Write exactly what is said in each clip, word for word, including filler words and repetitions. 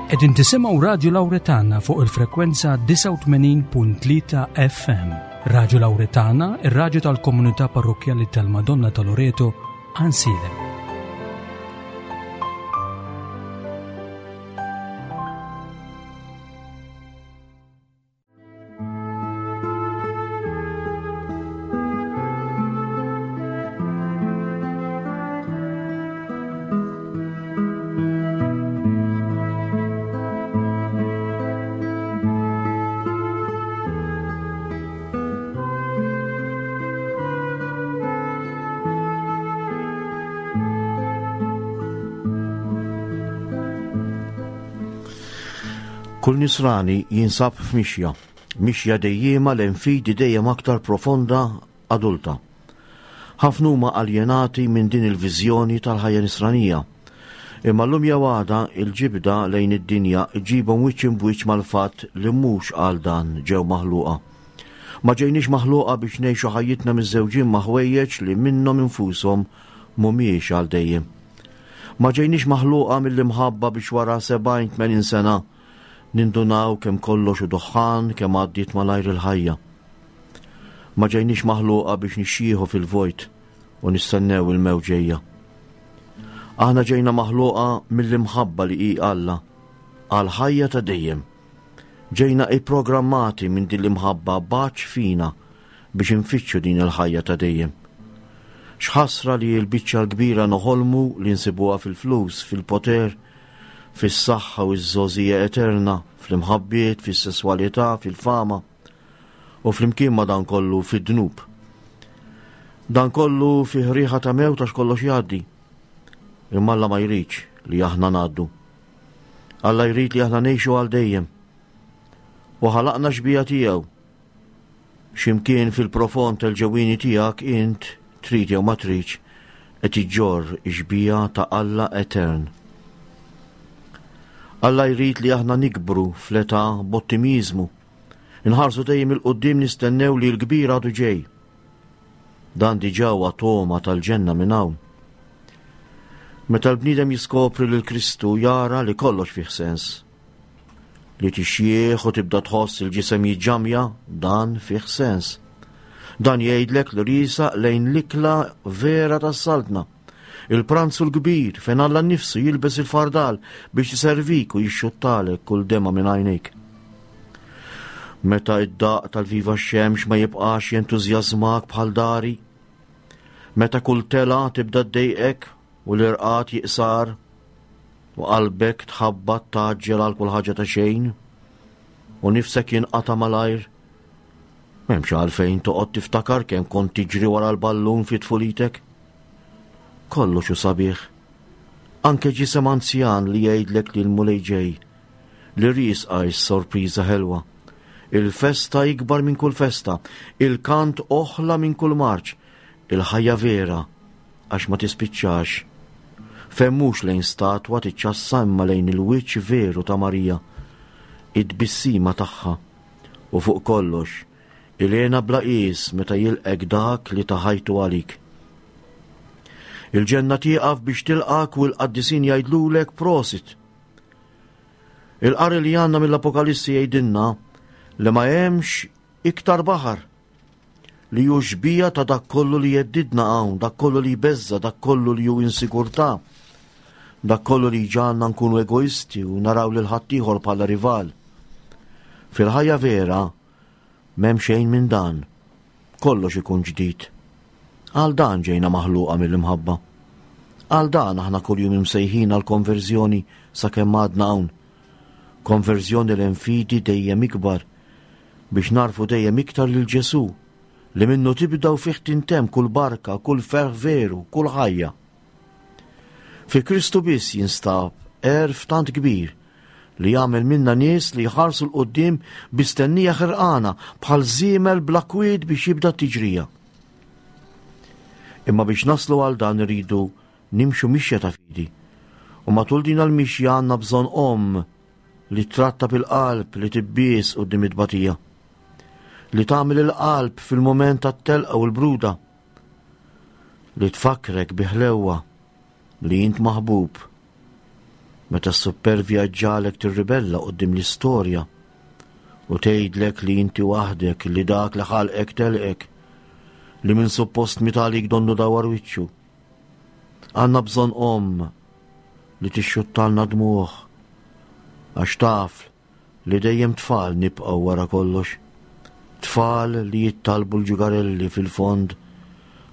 Qegħdin tisimgħu Radio Lauretana fuq il-frekwenza disgħa u tmenin punt tlieta F M. Radio Lauretana, ir-radju tal-Komunità Parrokkjali tal-Madonna ta' Loreto, Għajnsielem. Kull nisrani jinsab f'mixja, mixja dejjema lejn fidi dejjem aktar profonda, adulta. Ħafna huma aljenati minn din il-viżjoni tal-ħajja nisranija. Imma llum jew għada il-ġibda lejn id-dinja ġibhom wiċċ imbwiċċ mal-fatt li mhux għal dan ġew maħluqa. Ma ġejniex maħluqa biex ngħixu ħajjitna miżżewġin ma' ħwejjeġ li minnhom infushom mhumiex għal dejjem. Ma ġejniex maħluqa mill-imħabba biex wara sebgħin tmenin sena nindunaw kemm kollox hu duħħan, kemm għaddiet malajr il-ħajja. Ma ġejniex maħluqa biex nixjieħu fil-vojt u nistennew il-mewt ġejja. Aħna ġejna maħluqa mill-imħabba li hi Alla għal ħajja ta' dejjem. Ġejna ipprogrammati minn din l-imħabba baċ fina biex infittxu din il-ħajja ta' dejjem. X'ħasra li l-biċċa l-kbira noħolmu li nsibuha fil-flus, fil-poter, fis-saħħa u ż-żgħożija eterna, fl-imħabbiet, fis-sesswalità, fil-fama u flimkien ma' dan kollu fid-dnub. Dan kollu fih riħa ta' mewt għax kollox jgħaddi. Imma Alla ma jridx li aħna ngħaddu. Alla jrid li aħna ngħixu għal dejjem. U ħalaqna xbieha tiegħu. X'imkien fil-profond tal-ġewwieni tiegħek int trid jew ma tridx qed iġġorr ix-xbieha ta' Alla etern. Alla jrid li aħna nikbru fl-età b'ottimizmu. Inħarsu dejjem 'il quddiem, nistennew li l-kbir għadu ġej. Dan diġà huwa togħma tal-ġenna minn hawn. Meta l-bniedem jiskopri lil Kristu jara li kollox fih sens. Li tixjieħ u tibda tħoss il-ġisem jiġġamja, dan fih sens. Dan jgħidlek li riesaq lejn l-ikla vera tas-saltna. Il-pranzu l-kbir fejn Alla nnifsu jilbes il-fardal biex jiservik u jixxuttalek kull demgħa minn għajnejk. Meta id-daq tal-viva xemx ma jibqax jentużjażmak bħal dari, meta kull telgħa tibda ddejqek u l-irqad jiqsar u qalbek tħabbat tgħaġġel għal kull ħaġa ta' xejn u nifsek jinqata' malajr, m'hemmx għalfejn toqgħod tiftakar kemm kont tiġri wara l-ballun fi tfulitek. Kollox hu sabiħ. Anke ġisem anzjan li jgħidlek li l-Mulej ġej, li riesqa s-sorpriża ħelwa. Il-festa ikbar minn kull festa, il-kant oħla minn kull marċ, il-ħajja vera, għax ma tispiċċax. Fejn mhux lejn statwa tiċċassa imma lejn il-wiċċ veru ta' Marija, id-tbissima tagħha, u fuq kollox, il-hena bla qies meta jilqek dak li ta ħajtu għalik. Il-ġenna tieqaf biex tilqak u l-qaddisin jgħidlulek prosit. Il-qari li għandna mill-Apokalissi jgħidilna li ma hemmx iktar baħar, li hu xbieha ta' dak kollu li jheddidna hawn, dak kollu li jbeżża, dak kollu li hu insigurtà, dak kollu li jġagħalna nkunu egoisti u naraw lil ħaddieħor bħala rival. Fil-ħajja vera m'hemm xejn minn dan, kollox ikun ġdid. Għal dan ġejna maħluqa mill-imħabba. Għal dan aħna kuljum imsejħin għal konverżjoni sakemm għadna hawn. Konverżjoni lejn fidi dejjem ikbar biex narfu dejjem iktar lil Ġesù li minnu tibda u fih tintemm kull barka, kull ferħ veru, kull ħajja. Fi Kristu biss jinstab għerf tant kbir li jagħmel minna nies li jħarsu 'l quddiem bi stennija ħerqana bħal żiemel bla kwiet biex jibda t-tiġrija. Imma biex naslu għal dan iridu nimxu mixja ta' fidi. U matul din il-mixja għandna bżonn omm li tratta bil-qalb li tibbies quddiem it-tbatija, li tagħmel il-qalb fil-mument tat-telqa u l-bruda, li tfakkrek bi ħlewwa li int maħbub. Meta s-suppervja ġġagħlek tirribella quddiem l-istorja u tgħidlek li inti waħdek, li dak li ħalqek telqek, li min suppost miet għalik donnu dawar wiċċu. Għandna bżonn omm li tixxuttalna dmugħ, għax taf li dejjem tfal nibqgħu wara kollox. Tfal li jittalbu l-ġugarelli fil-fond,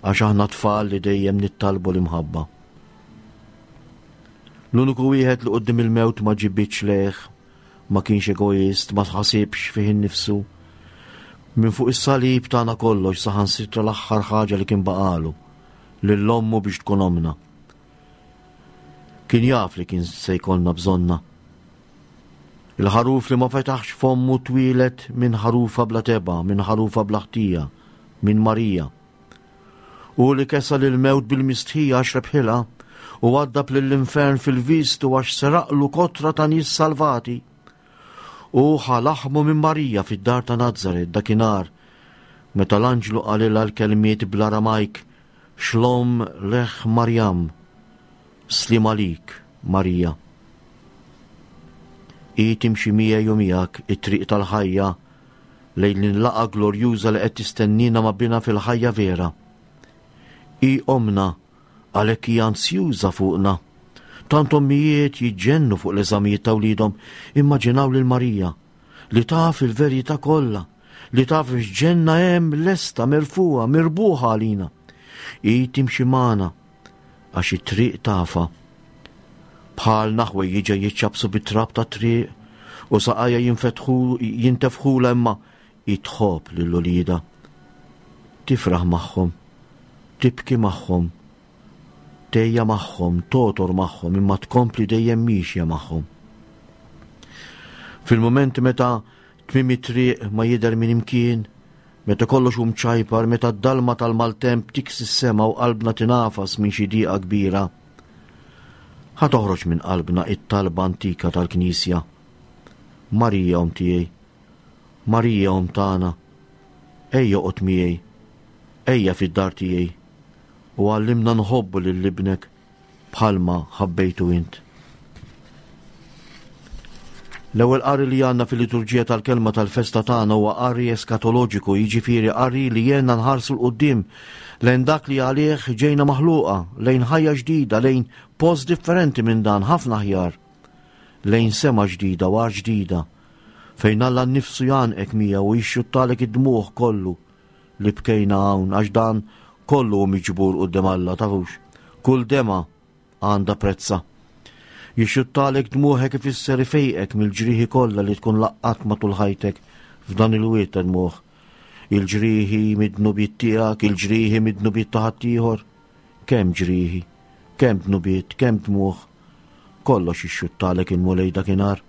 għax aħna tfal li dejjem nittalbu l-imħabba. L-uniku wieħed li quddiem il-mewt ma ġibidx lejh, ma kienx egoist, ma tħasibx fih innifsu. Minn fuq is-salib tana kollox, saħansitra l-aħħar ħaġa li kien baqalu, lil ommu biex tkun omna. Kien jaf li kien se jkollna bżonna. Il-ħaruf li ma fetaħx fommu twieled minn ħarufa bla tebgħa, minn ħarufa bla ħtija, minn Marija. U li kesa lil mewt bil-mistħija għax rebħilha u għaddab lill-infern fil-vistu għax seraqlu kotra ta' nies salvati. U ħa laħmu minn Marija fid-dar ta' Nazaret dakinhar meta l-anġlu qalilha l-kelmiet bl-Aramajk Xlom lech Marjam, sliem għalik, Marija. Hi timxi miegħi u miegħek it-triq tal-ħajja lejn l-laqgħa glorjuża li qed tistennina ma' Binha fil-ħajja vera. Hi omna għalhekk hija ansjuża fuqna. Tant ommijiet jiġġennu fuq l-eżamijiet ta' wliedhom, immaġinaw lil Marija li taf il-verità kollha, li taf x'ġenna hemm lesta merfugħa, mirbuħa għalina. Hi timxi magħna għax it-triq tafha. Bħalna ħwejjiġha jiċċabsu bit-trab ta' triq u saqajha jinfetħu jintefħula imma hi tħobb lil uliedha. Tifraħ magħhom, tibki magħhom, tgħejja magħhom, togħtor magħhom, imma tkompli dejjem miexja magħhom. Fil-moment meta tmiem it-triq ma jidher minn imkien, meta kollox hu mċajpar, meta d-dalma tal-maltemp tiksi s-sema u qalbna tinafas minn xi diqa kbira, ħa toħroġ minn qalbna it-talba antika tal-Knisja. Marija omm tiegħi, Marija omm tagħna, ejja oqgħod miegħi, ejja fid-dar tiegħi, u għallimna nħobbu lil ibnek bħalma ħabbejtu int. L-ewwel qari li għandna fil-liturġija tal-kelma tal-festa tagħna huwa qari eskatoloġiku, jiġifieri qari li jgħinna nħarsu 'l quddiem lejn dak li għalih ġejna maħluqa, lejn ħajja ġdida, lejn post differenti minn dan, ħafna aħjar, lejn sema ġdida u art ġdida, fejn Alla nnifsu jgħannqek miegħu u jixxuttalek id-dmugħ kollu li bkejna hawn, għax dan kollu hu miġbur quddiem Alla, tafux. Kull dema għandha prezza. Jixxuttalek dmuħek ifisser ifejqek mill-ġrieħi kollha li tkun laqqat matul ħajtek f'dan il-wied ta' dmuħ. Il-ġrieħi mid-dnubiet tiegħek, il-ġrieħi mid-dnubiet ta' ħaddieħor. Kemm ġrieħi, kemm dnubiet, kemm dmuħ. Kollox jixxuttalek il-Mulej dakinhar.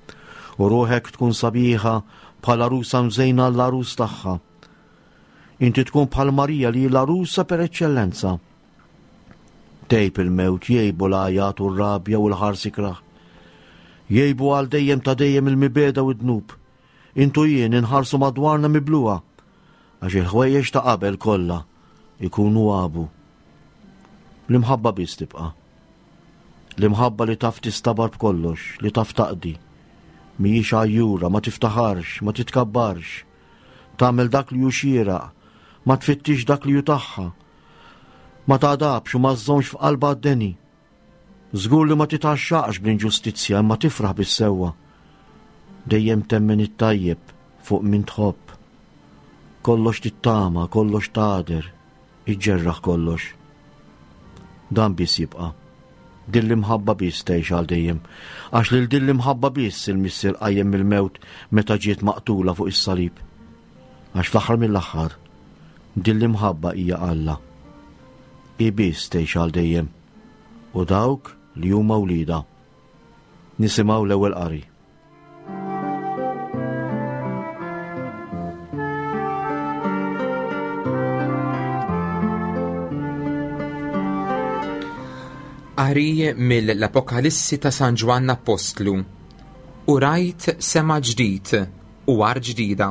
U ruħek tkun sabiħa bħal għarusa mżejna l-għarus tagħha. Inti tkun bħal Marija li l-għarusa per eċċellenza. Tgħib il-mewt, jgħibu l-għajat u r-rabja u l-ħars ikrah. Jgħibu għal dejjem ta' dejjem il-mibegħda u d-dnub. Int u jien inħarsu madwarna mibluha, għax il-ħwejjeġ ta' qabel kollha ikunu għabu. L-imħabba biss tibqa'. L-imħabba li taf tistabar b'kollox, li taf taqdi. Mhijiex għajjura, ma tiftaħarx, ma titkabbarx. Tagħmel dak li hu xieraq, ma tfittix dak li hu tagħha. Ma tagħdabx u ma żżommx f'qalbha għad-deni. Żgur li ma titgħaxxaqx bl-inġustizzja imma tifraħ bis-sewwa. Dejjem temmen it-tajjeb fuq min tħobb. Kollox tittama, kollox tagħder, iġġerraħ kollox. Dan biss jibqa'. Din l-imħabba biss tgħix għal dejjem, għax lil din l-imħabba biss il-Missier qajjem mill-mewt meta ġiet maqtula fuq is-salib. Għax fl-aħħar mill-aħħar, din l-imħabba hija Alla. Hi biss tgħix għal dejjem, u dawk li huma wliedha. Nisimgħu l-ewwel qari. Qari mill-Apokalissi ta' San Ġwann Appostlu. U rajt sema ġdid u art ġdida,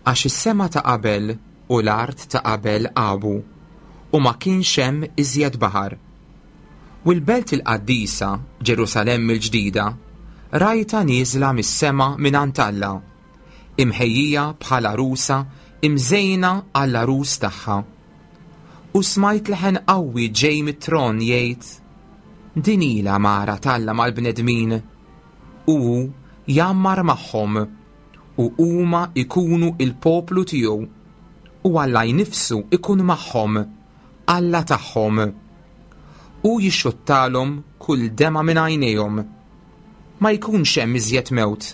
għax is-sema ta' qabel u l-art ta' qabel għabu, u ma kienx hemm iżjed baħar. U l-belt il-qaddisa, Ġerusalemm il-ġdida, rajtha nieżla mis-sema minn għand Alla, imħejjija bħala għarusa imżejna għall-għarus tagħha. U smajt leħen qawwi ġej mit-tron jgħid: Din hi l-għamara t'Alla mal-bnedmin, u hu jgħammar magħhom, u huma ikunu il-poplu tiegħu, u Alla nnifsu ikun magħhom, Alla tagħhom. U jixxuttalhom kull demgħa minn għajnejhom. Ma jkunx hemm iżjed mewt,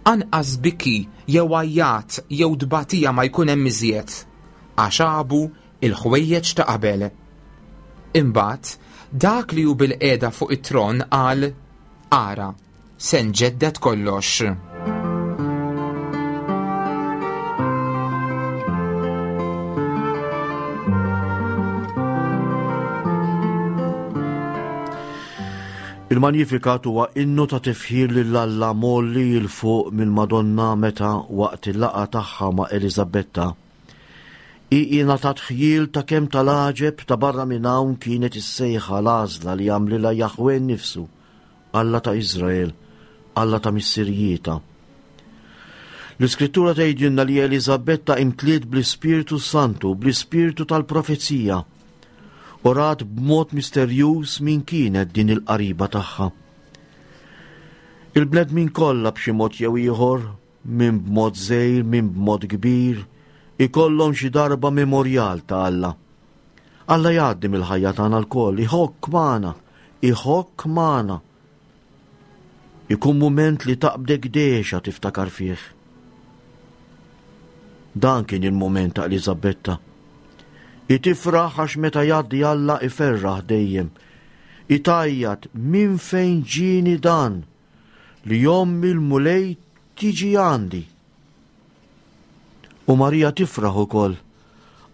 anqas biki jew għajjat jew tbatija ma jkun hemm iżjed, għax għabu il-ħwejjeġ ta' qabel. Imbagħad dak li hu bilqiegħda fuq it-tron qal: Ara, se nġedded kollox. Il-Magnificat huwa innu ta' tifħir lil Alla mgħolli 'l fuq mill-Madonna meta waqt il-laqgħa tagħha ma' Eliżabetta. Hi ingħatat ħjiel ta' kemm tal-għaġeb ta' barra minn hawn kienet is-sejħa l-għażla li għamlilha Jahwe nnifsu, Alla ta' Iżrael, Alla ta' missirijietha. L-Iskrittura tgħidilna li Eliżabetta imtliet bl-Ispirtu Santu, bl-Ispirtu tal-profezija, u rat b'mod misterjuż min kienet din il-qariba tagħha. Il-bnedmin kollha b'xi mod jew ieħor, min b'mod żgħir, min b'mod kbir, ikollhom xi darba memorjal ta' Alla. Alla jgħaddi mill-ħajja tagħna lkoll, iħokk magħna, iħokk magħna. Ikun mument li taqbdek dehxa tiftakar fih. Dan kien il-mument ta' Eliżabetta. Hi tifraħ għax meta jgħaddi Alla iferraħ dejjem. Tgħajjat minn fejn ġieni dan li omm il-Mulej tiġi għandi. U Marija tifraħ ukoll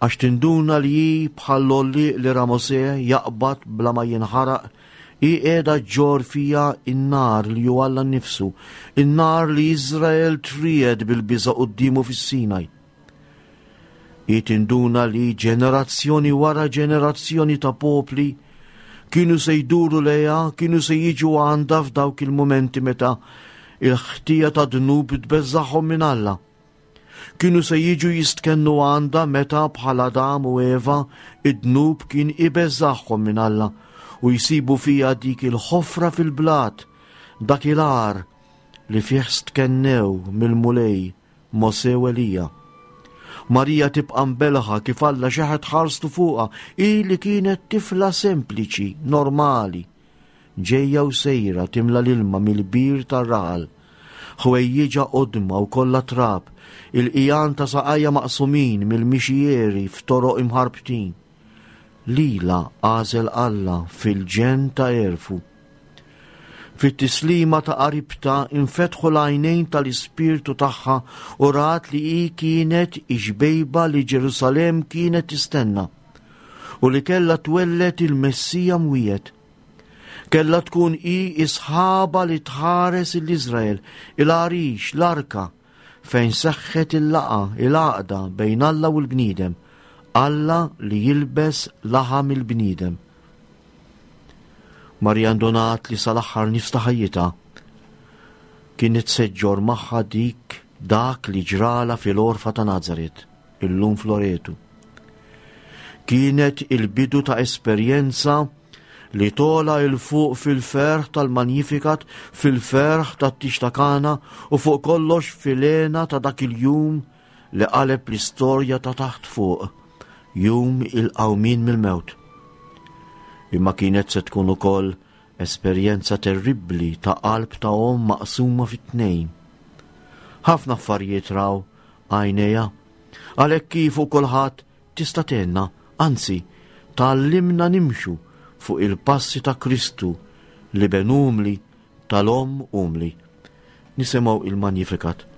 għax tinduna li hi bħall-għollieq li ra Mosè jaqbad bla ma jinħaraq, hi qiegħda ġġorr fiha in-nar li hu Alla nnifsu, in-nar li Iżrael triegħed bil-biża' quddiemu fis-Sinaj. Hi tinduna li ġenerazzjoni wara ġenerazzjoni ta' popli kienu se jduru lejha, kienu se jiġu għandha f'dawk il-momenti meta il-ħtija ta' dnub tbeżżagħhom minn Alla. Kienu se jiġu jistkennu għandha meta bħal Adam u Eva id-dnub kien ibeżżagħhom minn Alla u jsibu fija dik il-ħofra fil-blat, dak il-għar li fih stkennew mill-Mulej Mosè u Elija. Marija tibqa' mbelħa kif Alla xeħet ħarstu fuqha, hi li kienet tifla sempliċi, normali, ġejja u sejra timla l-ilma mill-bir tar-raħal, ħwejjiġa qodma u kollha trab, il-qiegħan ta' saqajja maqsumin mill-mixieri f'toroq imħarbtin. Lila għażel Alla fil-ġenn ta' għerfu. Fit-tislima ta' qaribta infetħu l-għajnejn tal-ispirtu tagħha u rat li hi kienet ix-xbejba li Ġerusalemm kienet tistenna u li kellha twelled il-Messija mwiegħed. Kellha tkun hi is-sħaba li tħares l-Iżrael, il-għarix, l-arka, fejn seħħet il-laqgħa, il-għaqda bejn Alla u l-bniedem, Alla li jilbes laħam il-bniedem. Marija ndunat li sal-aħħar nifs ta' ħajjitha kienet se ġġorr magħha dik dak li ġrala fil-għorfa ta' Nazaret, illum f'Loretu. Kienet il-bidu ta' esperjenza li tola 'l fuq fil-ferħ tal-Magnificat, fil-ferħ tat-tieġ ta' Kana u fuq kollox fil-hena ta' dak il-jum li qaleb l-istorja ta' taħt fuq, jum il-qawmien mill-mewt. Imma kienet se tkun ukoll esperjenza terribbli ta' qalb ta' omm maqsuma fit-tnejn. Ħafna affarijiet raw għajnejha, għalhekk kif u kulħadd tista' tgħinna, anzi tgħallimna nimxu fuq il-passi ta' Kristu li ben umli tal-omm umli. Nisimgħu il-Magnificat.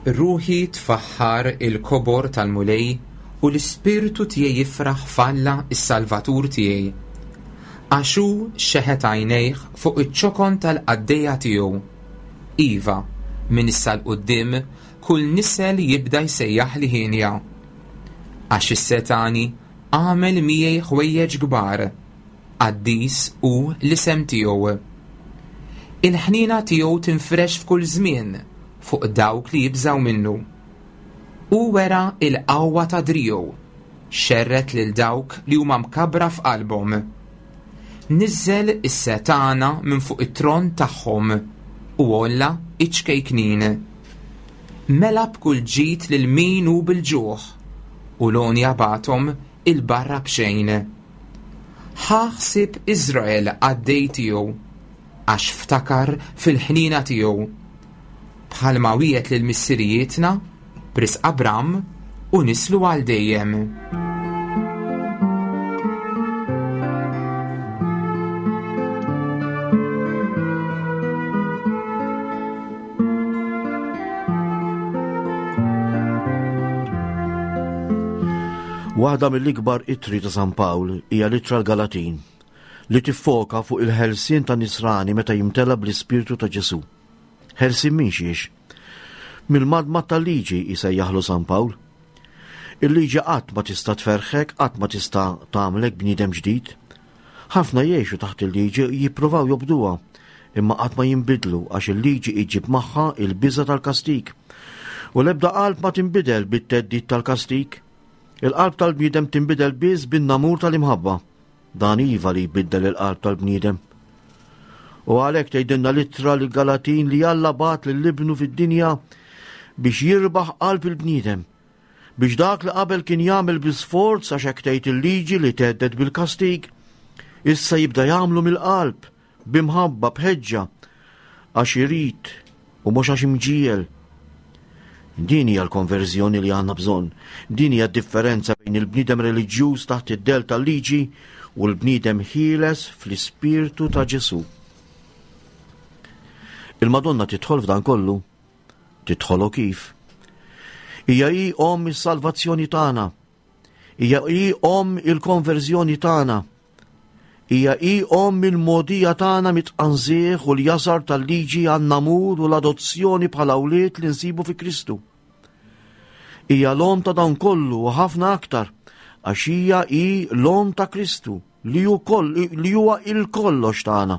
Ruħi tfaħħar il-kobor tal-Mulej u l-ispirtu tiegħi jifraħ f'Alla is-Salvatur tiegħi. Għax hu xeħet għajnejh fuq iċ-ċokon tal-qaddejja tiegħu. Iva, minn issa 'l quddiem kull nisel jibda jsejjaħli ħienja. Għax is-setgħani għamel miegħi ħwejjeġ kbar, qaddis hu l-isem tiegħu. Il-ħniena tiegħu tinfrex f'kull żmien fuq dawk li jibżgħu minnu. Hu wera l-qawwa ta' driegħu, xerred lil dawk li huma mkabbra f'qalbhom. Niżżel is-setgħana minn fuq it-tron tagħhom u għolla iċ-ċkejknin. Mela b'kull ġid lil min hu bil-ġuħ u l-għonja bagħathom 'il barra b'xejn. Ħa ħsieb Iżrael qaddej tiegħu, għax ftakar fil-ħniena tiegħu. Bħalma wiegħed lil missirijietna, b'risq Abram u nislu għal dejjem. Waħda mill-ikbar ittri ta' San Pawl hija l-ittra l-Galatin, li tiffoka fuq il-ħelsien ta' nisrani meta jimtela bl-Ispirtu ta' Ġesù. Ħelsien minn xiex? Mill-madma tal-liġi jsejjaħlu San Pawl. Il-liġi qatt ma tista' tferħek, qatt ma tista' tagħmlek bniedem ġdid. Ħafna jgħixu taħt il-liġi jippruvaw jobduha, imma qatt ma jinbidlu għax il-liġi iġib magħha il-biża' tal-kastig. U l-ebda qalb ma tinbidel bit-theddid tal-kastig. Il-qalb tal-bniedem tinbidel biss bin-namur tal-imħabba. Dan iva li jbiddel il-qalb tal-bniedem. U għalhekk tgħidilna l-ittra lil Galatin li Alla bagħat lil ibnu fid-dinja biex jirbaħ qalb il-bniedem, biex dak li qabel kien jagħmel bi sforz għax hekk tgħid il-liġi li thedded bil-kastig, issa jibda jagħmlu mill-qalb, b'imħabba, b'ħeġġa, għax irid u mhux għax imġiegħel. Din hija l-konverżjoni li għandna bżonn. Din hija d-differenza bejn il-bniedem reliġjuż taħt id-del tal-liġi u l-bniedem ħieles fl-ispirtu ta' Ġesù. Il-Madonna tidħol f'dan kollu. Tidħol u kif? Hija hi omm is-salvazzjoni tagħna. Hija hi omm il-konverżjoni tagħna. Hija hi omm il-mogħdija tagħna mit-tqanżih u l-jasar tal-liġi għan-namur u l-adozzjoni bħala wlied li nsibu fi Kristu. Hija l-omm ta' dan kollu u ħafna aktar, għax hija hi l-omm ta' Kristu li hu koll-, li huwa il-kollox tagħna.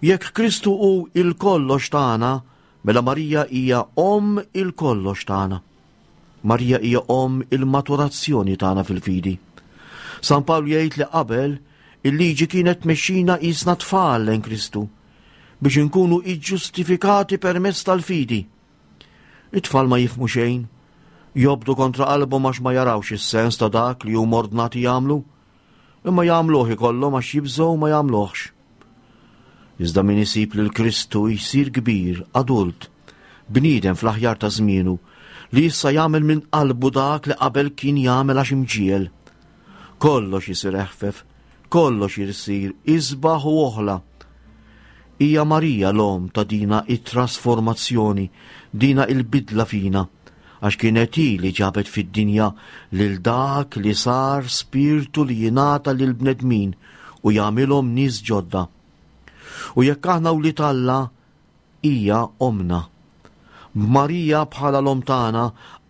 Jekk Kristu hu il-kollox tagħna, mela Marija hija omm il-kollox tagħna. Marija hija omm il-maturazzjoni tagħna fil-fidi. San Pawl jgħid li qabel il-liġi kienet tmexxina qisna tfal lejn Kristu biex inkunu iġġustifikati permezz tal-fidi. It-tfal ma jifhmu xejn, jobdu kontra qalbhom għax ma jarawx is-sens ta' dak li huma ordnati jagħmlu, imma jagħmluh ikollhom għax jibżgħu ma jagħmluhx. Iżda min isib lil Kristu jsir kbir, adult, bniedem fl-aħjar ta' żmienu, li issa jagħmel minn qalbu dak li qabel kien jagħmel għax imġiegħel. Kollox isir eħfef, kollox isir isbaħ u oħla. Hija Marija l-omm ta' dina it-trasformazzjoni, dina il-bidla fina, għax kienet hi li ġabet fid-dinja lil dak li sar spirtu li jingħata lil bnedmin u jagħmilhom nies ġodda. U jekk aħna wlied Alla, hija omna. B'Marija bħala l-omm tagħna,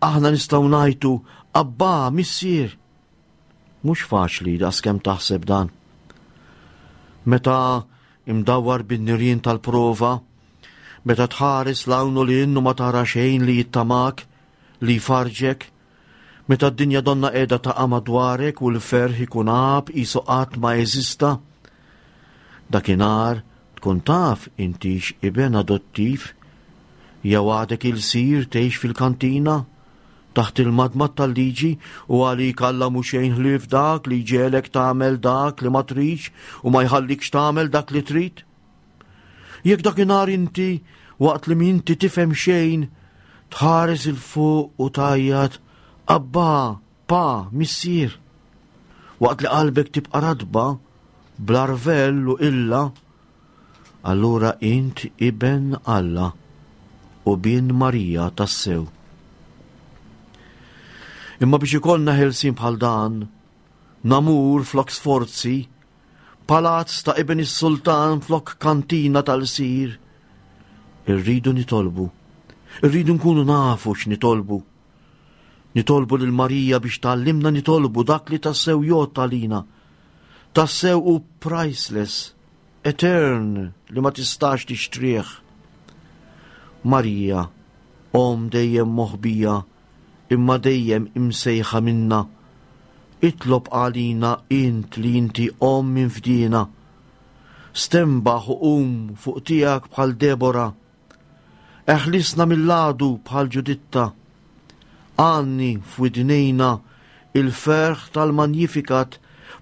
aħna nistgħu ngħidu Abba, Missier. Mhux faċli daqskemm taħseb dan. Meta imdawwar bin-nirien tal-prova, meta tħares 'l hawn u 'l hinn u ma tara xejn li jittamak, li jfarġek, meta d-dinja donna qiegħda taqa' madwarek u l-ferħ ikun għab qisu qatt ma eżista, dakinhar tkun taf intix iben adottiv jew għadek ilsir tgħix fil-kantina taħt il-madmad tal-liġi u għalik Alla mhu xejn ħlief dak li jġegħlek tagħmel dak li ma tridx u ma jħallikx tagħmel dak li trid. Jekk dakinhar inti waqt li minti tifhem xejn tħares 'il fuq u tgħajjat Abba, Pa, Missier. Waqt li qalbek tibqa' ratba bl-arvell u illa, allura int iben Alla u bin Marija tassew. Imma biex ikollna ħelsin bħal dan, namur flok sforzi, Palazz ta' ibn is-sultan flok kantina tal-sir. Irridu nitolbu. Irridu nkunu nafu x'nitolbu. Nitolbu lil Marija biex tgħallimna nitolbu dak li tassew jgħodd għalina. Tassew hu priceless, etern li ma tistax tixtrih. Marija, omm dejjem moħbija, imma dejjem imsejħa minna. Itlob għalina int li inti omm minn fdina. Stenbaħ u qum fuq tiegħek bħal Debora. Eħlisna mill-għadu bħal Ġuditta. Għanni f'widnejna il-ferħ tal-Magnificat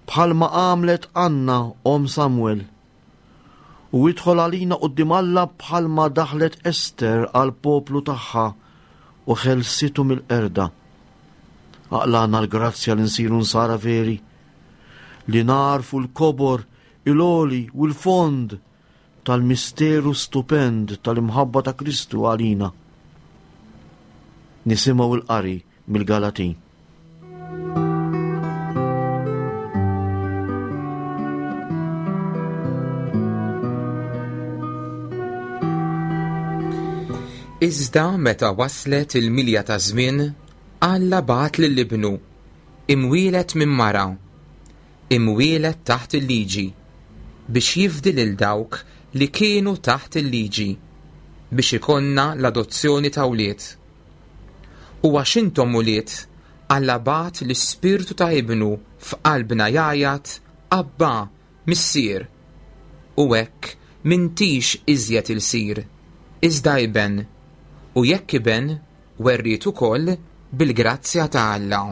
bħalma għamlet Anna omm Samuel. U idħol għalina quddiem Alla bħalma daħlet Ester għal poplu tagħha u ħelsitu mill-qerda. Aqlagħna l-grazzja li nsiru nsara veri, li nagħrfu l-kobor, il-għoli u l-fond tal-misteru stupend tal-imħabba ta' Kristu għalina. Nisimgħu il-qari mill-Galatin. Iżda meta waslet il-milja ta' żmien, Alla bagħat lil ibnu, imwieled minn mara, imwieled taħt il-liġi, biex jifdi lil dawk li kienu taħt il-liġi, biex ikollna l-adozzjoni ta' wlied. U għax intom ulied, Alla bagħat l-ispirtu ta' ibnu f'qalbna jgħajjat Abba, Missier. U hekk m'intix iżjed ilsir, iżda iben, u jekk iben, werriet ukoll bil-grazzja ta' Alla.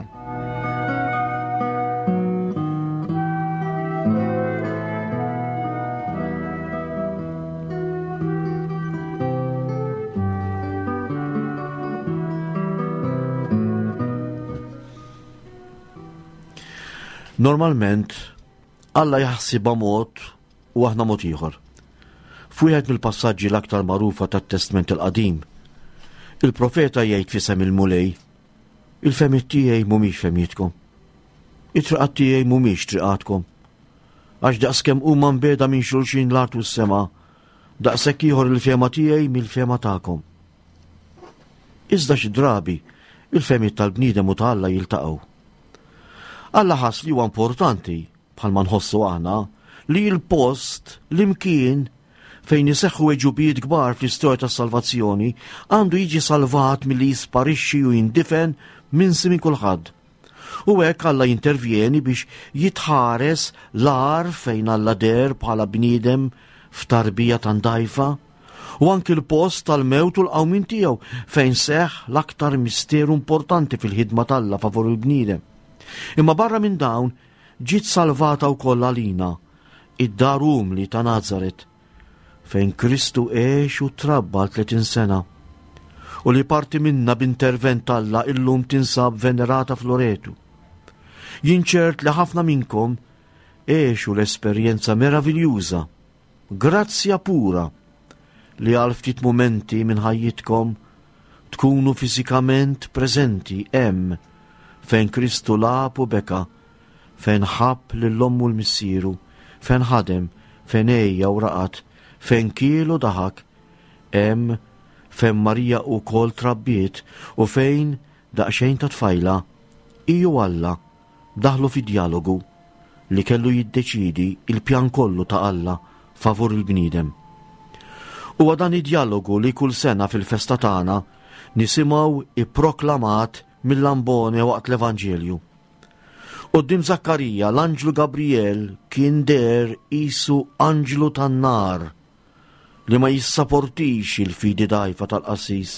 Normalment, Alla jaħsibha mod u aħna mod ieħor. F'wieħed mill-passaġġi l-aktar magħrufa tat-Testment il-Qadim, il-profeta jgħid f'isem il-Mulej, il-fehmiet tiegħi mhumiex fehmietkom. It-triqat tiegħi mhumiex triqatkom. Għax daqskemm huma mbiegħda minn xulxin l-art u s-sema, daqshekk ieħor il-fehma tiegħi mill-fehma tagħkom. Iżda xi drabi il-fehmiet tal-bniedem u ta' Alla jiltaqgħu. Alla ħass li huwa importanti bħalma nħossu aħna li l-post l-imkien fejn iseħħu għeġubijiet kbar fl-istorja tas-salvazzjoni għandu jiġi salvat milli jisparixxi u jindifen minsi minn kulħadd. U hekk Alla jintervjeni biex jitħares l-għar fejn Alla deher bħala bniedem f'tarbija tan-dajfa u anki l-post tal-mewt u l-qawmien tiegħu fejn seħħ l-aktar misteru importanti fil-ħidma t'Alla favur il-bniedem. Imma barra minn dawn ġiet salvata wkoll għalina id-dar umli ta' Nazaret fejn Kristu għex u trabba għal tletin sena u li parti minna b'intervent Alla illum tinsab venerata f'Loretu. Jien ċert li ħafna minnkom għexu l-esperjenza meraviljuża, grazzja pura, li għal ftit momenti minn ħajjitkom tkunu fiżikament preżenti hemm fejn Kristu lagħab u beka, fejn ħabb lil ommu u l-missieru, fejn ħadem, fejn għejja u raqad, fejn kiel u daħak, hemm fejn Marija wkoll trabbiet u fejn daqsxejn ta' tfajla, hi u Alla daħlu fi djalogu li kellu jiddeċidi il-pjan kollu ta' Alla favur il-bniedem. Huwa dan id-djalogu li kull sena fil-festa tagħna nisimgħu ipproklamat mill-ambone waqt l-Evanġelju. Quddiem Zakkarija l-anġlu Gabriel kien deher qisu anġlu tan-nar li ma jissaportix il-fidi dgħajfa tal-qassis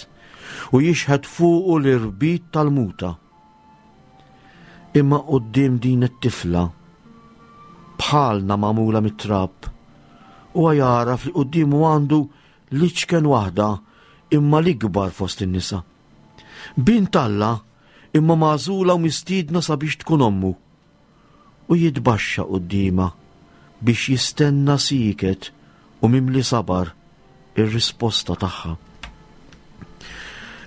u jixħet fuqu l-irbit tal-muta. Imma quddiem din it-tifla bħalna magħmula mit-trab, huwa jagħraf li quddiemu għandu l-iċken waħda imma l-ikbar fost in-nisa. Bint Alla imma magħżula u mistiedna sabiex tkun ommu. U jitbaxxa quddiemha biex jistenna sieket u mimli sabar ir-risposta tagħha.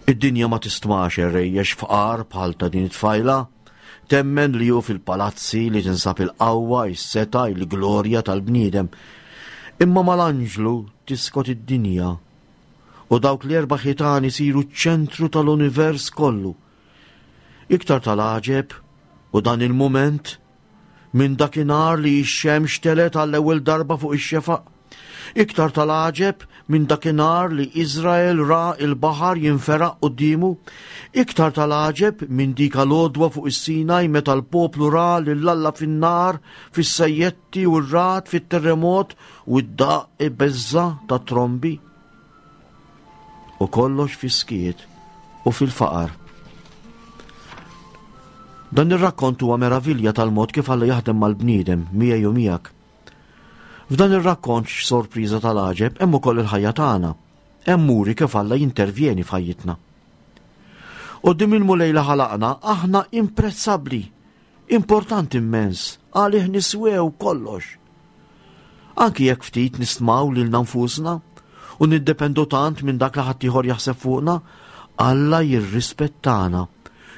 Id-dinja ma tistmax irrejjex fqar bħal ta' din it-tfajla Temmen li hu fil-palazzi li tinsab il-qawwa, is-setgħa, il-glorja tal-bniedem. Imma mal-anġlu tiskot id-dinja u dawk l-erba' ħitan isiru ċ-ċentru tal-univers kollu. Iktar tal-għaġeb u dan il-mument minn dakinhar li x-xemx telgħet għall-ewwel darba fuq ix-xefaq. Iktar tal-għaġeb minn dakinhar li Iżrael ra il-baħar jinferaq quddiemu. Iktar tal-għaġeb minn dik l-għodwa fuq is-Sinaj meta l-poplu ra lil Alla fin-nar, fis-sajjetti u r-ragħad, fit-terremot u d-daqq ibeżża' ta' trombi. U kollox fis-skiet u fil-faqar. Dan ir-rakkont huwa meravilja tal-mod kif Alla jaħdem mal-bniedem miegħi u miegħek. F'dan ir-rakkont x'sorpriża tal-għaġeb hemm ukoll il-ħajja tagħna. Hemm muri kif Alla jintervjeni f'ħajjitna. Quddiem il-Mulej li ħalaqna aħna imprezzabbli, importanti immens, għalih niswew kollox. Anki jekk ftit nistmaw lilna nfusna u niddependu tant minn dak li ħaddieħor jaħseb fuqna, Alla jirrispettana,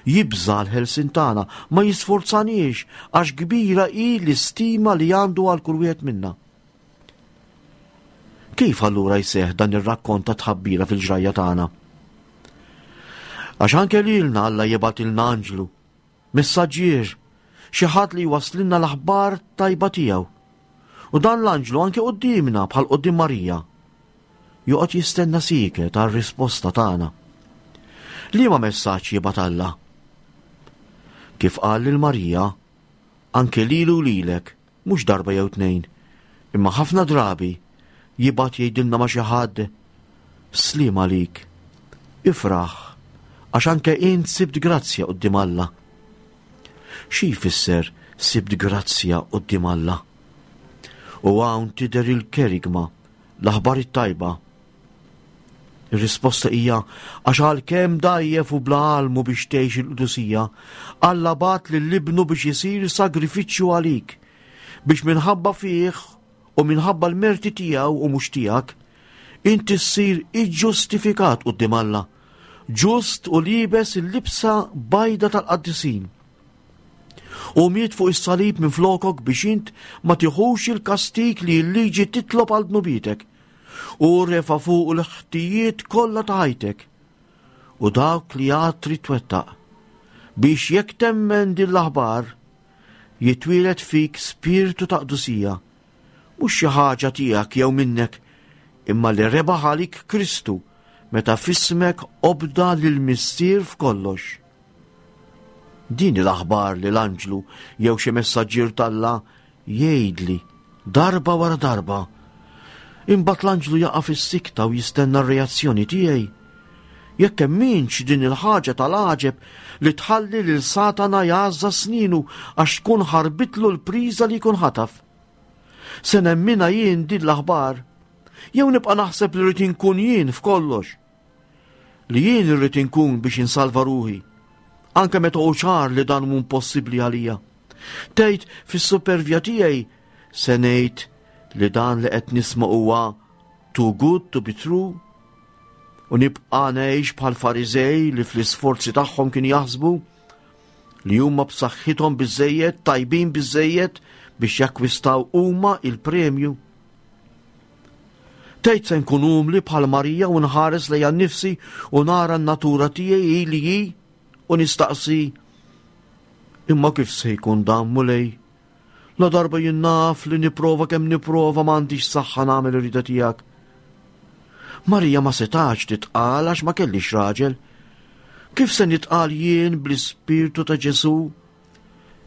jibża' l-ħelsien tagħna, ma jisforzaniex għax kbira hi l-istima li għandu għal kull wieħed minna. Kif allura jseħħ dan ir-rakkont ta' tħabbira fil-ġrajja tagħna? Għax anke lilna Alla jibgħatilna anġlu, messaġġier, xi ħadd li jwasslilna l-aħbar tajba tiegħu. U dan l-anġlu anke quddiemna bħal quddiem Marija. Joqgħod jistenna sieket għar-risposta tagħna. Liema messaġġ jibgħat Alla? Kif qal lil Marija, anke lilu lilek, mhux darba jew tnejn, imma ħafna drabi jibgħat jgħidilna ma' xi ħadd, sliem għalik, ifraħ, għax anke int sibt grazzja quddiem Alla. Xi jfisser sibt grazzja quddiem Alla? U hawn tidher il-kerigma, l-aħbar it-tajba. Ir-risposta hija għax għalkemm dgħajjef u bla almu biex tgħix il-qdusija, Alla bagħat lil ibnu biex isir sagrifiċċju għalik, biex minħabba fih u minħabba l-merti tiegħu u mhux tiegħek, inti ssir iġġustifikat quddiem Alla, ġust u liebes il-libsa bajda tal-qaddisin. U miet fuq is-salib minn flokok biex int ma tiħux il-kastik li l-liġi titlob għal dnubietek. U refa' fuq l-ħtijiet kollha ta' ħajtek u dawk li għad trid twettaq, biex jekk temmen din l-aħbar jitwieled fik spiritu ta' qdusija, mhux xi ħaġa tiegħek jew minnek, imma li rebaħ għalik Kristu meta f'ismek obda lil Missier f'kollox. Din l-aħbar li l-anġlu jew xi messaġġier t'Alla jgħidli darba wara darba. Imbagħad l-anġlu jaqa' fis-sikta u jistenna r-reazzjoni tiegħi. Jekk emminx din il-ħaġa tal-għaġeb li tħalli lil Satana jgħażża sninu għax tkun ħarbitlu l-priża li jkun ħataf. Se nemmina jien din l-aħbar, jew nibqa' naħseb li rrid inkun jien f'kollox. Li jien irrid inkun biex insalva ruħi, anke meta hu ċar li dan mhu impossibbli għalija. Tgħid fis-supervja tiegħi se ngħid li dan li qed nisma' huwa too good to be true, u nibqa' ngħix bħal Fariżej li fl-isforzi tagħhom kien jaħsbu li huma b'saħħithom biżejjed, tajbin biżejjed biex jakkwistaw huma il-premju. Tgħid se nkun umli bħal Marija u nħares lejha nnifsi u nara n-natura tiegħi li hi u nistaqsi, imma kif se jkun dan Mulej? La darba jien naf li nipprova kemm nipprova m'għandix saħħa nagħmel ir-rieda tiegħek. Marija ma setax titqal għax ma kellix raġel. Kif se nitqal jien bl-ispirtu ta' Ġesu?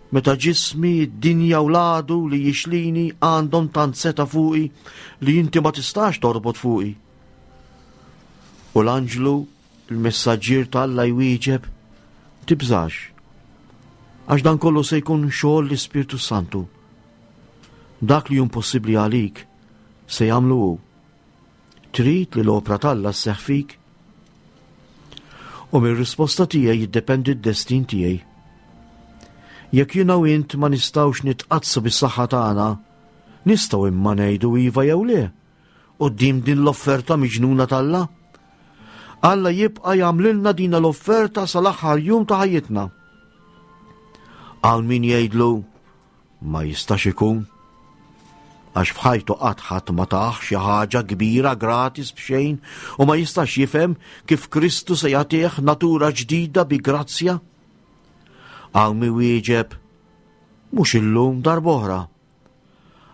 Meta ġismi, id-dinja u l-għadu li jixlini għandhom tant seta' fuqi li inti ma tistax torbot fuqi. U l-anġlu, il-messaġġier t'Alla jwieġeb, tibżax, għax dan kollu se jkun xogħol l-Ispirtu Santu. Dak li hu impossibbli għalik se jagħmlu hu. Trid li l-opra t'Alla sseħħ fik? U mir-risposta tiegħi jiddependi d-destin tiegħi. Jekk jiena u int ma nistgħux nitqaddsu bis-saħħa tagħna, nistgħu imma ngħidu iva jew le quddiem din l-offerta miġnuna t'Alla. Alla jibqa' jagħmlilna din l-offerta sal-aħħar jum ta' ħajjitna. Hawn min jgħidlu ma jistax ikun għax f'ħajtu qatt ħadd ma tah xi ħaġa kbira gratis b'xejn u ma jistax jifhem kif Kristu se jagħtih natura ġdida bi grazzja. Hawn min wieġeb mhux illum darb'oħra.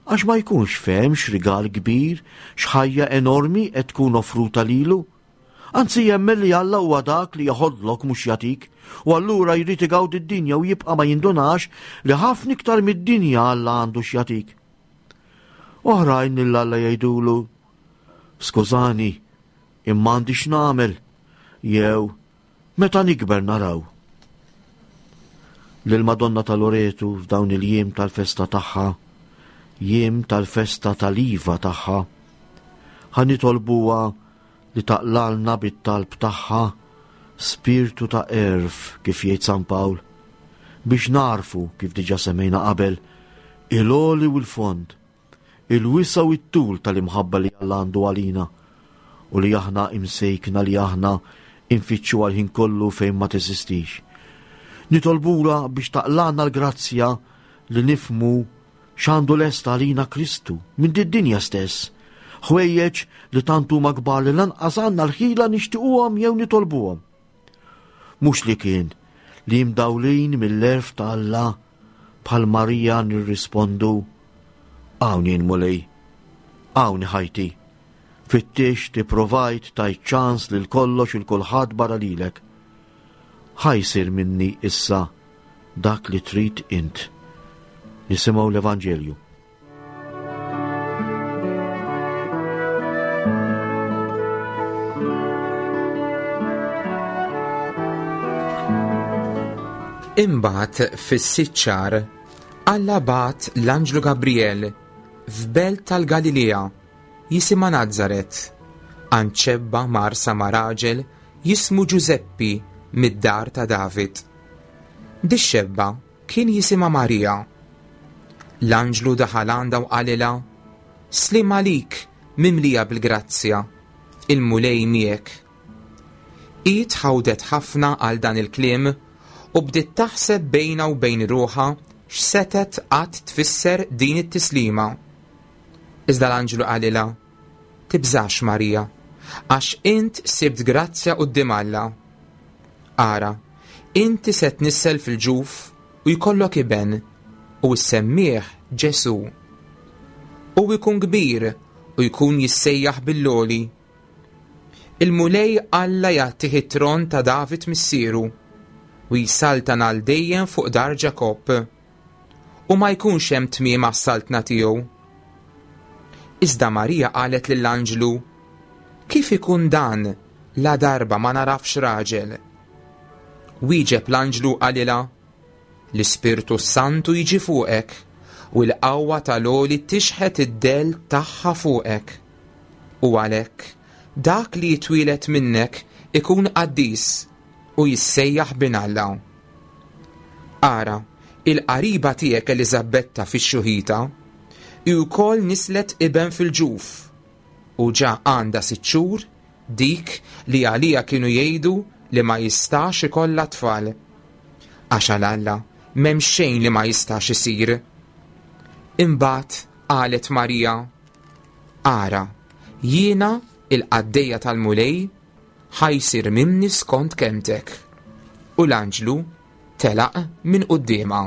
Għax ma jkunx fehem x'rigal kbir, x'ħajja enormi qed tkun offruta lilu. Anzi jemmen li Alla huwa dak li jaħodlok mhux jagħtik, u allura jrid igawdi d-dinja u jibqa' ma jindunax li ħafna iktar mid-dinja Alla għandu x'jagħtik. Oħrajn lil Alla jgħidulu, skużani, imma għandi x'nagħmel, jew meta nikber naraw. Lil Madonna ta' Loretu f'dawn il-jiem tal-festa tagħha, jiem tal-festa tal-iva tagħha, ħa nitolbuha li taqlalna bit-talb tagħha spirtu ta' għerf, kif jgħid San Pawl, biex narfu, kif diġà semmejna qabel, il-għoli u l-fond, il-wisa u t-tul tal-imħabba li Alla għandu għalina u li aħna imsejkna li aħna infittxu għal-ħin kollu fejn ma teżistix. Nitolbula biex taqlana l-grazzja li nifmu x'għandu lest għalina Kristu minn did-dinja stess, ħwejjeġ li tant huma kbar li lanqas għandna l-ħila nixtiequhom jew nitolbuhom. Mhux li kien li mdawlin mill-għerf ta' Alla bħal Marija nirrispondu hawn jien Mulej, hawn ħajti, fittix tipprovajt tajt ċans lil kollox il kulħadd barra lilek. Ħa jsir minni issa dak li trid int. Nisimgħu l-Evanġelju. Imbagħad fis-sitt xahar Alla bagħat l-Anġlu Gabriel f'belt tal-Galilea jisimha Nazaret, għand xebba marsa ma' raġel jismu Ġużeppi mid-dar ta' David. Dix-xebba kien jisimha Marija. L-anġlu daħal għandha u qalilha, Slim għalik mimlija bil-grazzja, il-Mulej miegħek. Hi tħawdet ħafna għal dan il-kliem u bdiet taħseb bejnha u bejn ruħha x'setet qatt tfisser din it-tislima. Iżda l-anġlu qalilha, Tibżax Marija, għax int sibt grazzja quddiem Alla. Ara, inti se tnissel fil-ġuf u jkollok iben u ssemmih Ġesu. U jkun kbir u jkun jissejjaħ bil-loli. Il-Mulej Alla jagħtih it-tron ta' David missieru u jsaltan għal dejjem fuq dar Ġakobb, u ma jkunx hemm tmiem għas-saltna tiegħu. Iżda Marija qalet lill-anġlu, Kif ikun dan la darba ma narafx raġel? Wieġeb l-anġlu qalilha, L-Ispirtu Santu jiġi fuqek u l-qawwa tal-għoli tixħet id-del tagħha fuqek. U għalhekk dak li jitwieled minnek ikun qaddis u jissejjaħ bin Alla. Ara, il-qariba tiegħek Eliżabetta fix-xuħita, hi wkoll nislet iben fil-ġuf, u ġa għandha sitt xhur dik li għalija kienu jgħidu li ma jistax ikollha tfal. Għax għal Alla m'hemm xejn li ma jistax isir. Imbagħad qalet Marija, Ara, jiena il-qaddejja tal-Mulej, ħa jsir minni skont kelmtek. U l-anġlu telaq minn quddiemha.